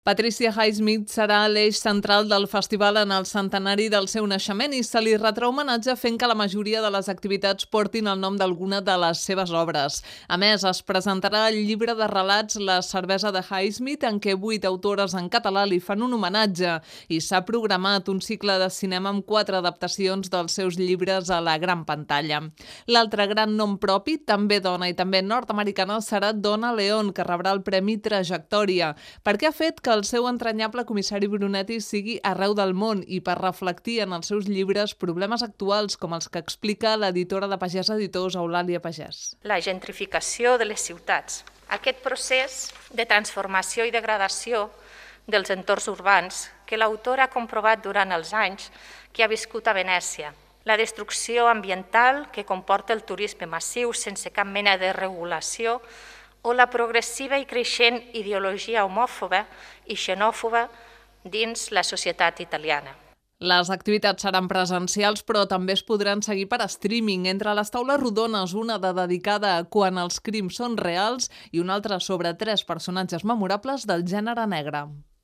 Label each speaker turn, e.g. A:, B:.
A: Patricia Highsmith serà l'eix central del festival en el centenari del seu naixement i se li retrà homenatge fent que la majoria de les activitats portin el nom d'alguna de les seves obres. A més, es presentarà el llibre de relats La cervesa de Highsmith, en què 8 autores en català li fan un homenatge, i s'ha programat un cicle de cinema amb 4 adaptacions dels seus llibres a la gran pantalla. L'altre gran nom propi, també dona i també nord-americana, serà Donna Leon, que rebrà el Premi Trajectòria, perquè ha fet que el seu entranyable comissari Brunetti sigui arreu del món i per reflectir en els seus llibres problemes actuals com els que explica l'editora de Pagès Editors, Eulàlia Pagès.
B: La gentrificació de les ciutats. Aquest procés de transformació i degradació dels entorns urbans que l'autor ha comprovat durant els anys que ha viscut a Venècia. La destrucció ambiental que comporta el turisme massiu sense cap mena de regulació o la progressiva i creixent ideologia homòfoba i xenòfoba dins la societat italiana.
A: Les activitats seran presencials, però també es podran seguir per streaming. Entre les taules rodones, una dedicada a Quan els crims són reals i una altra sobre 3 personatges memorables del gènere negre.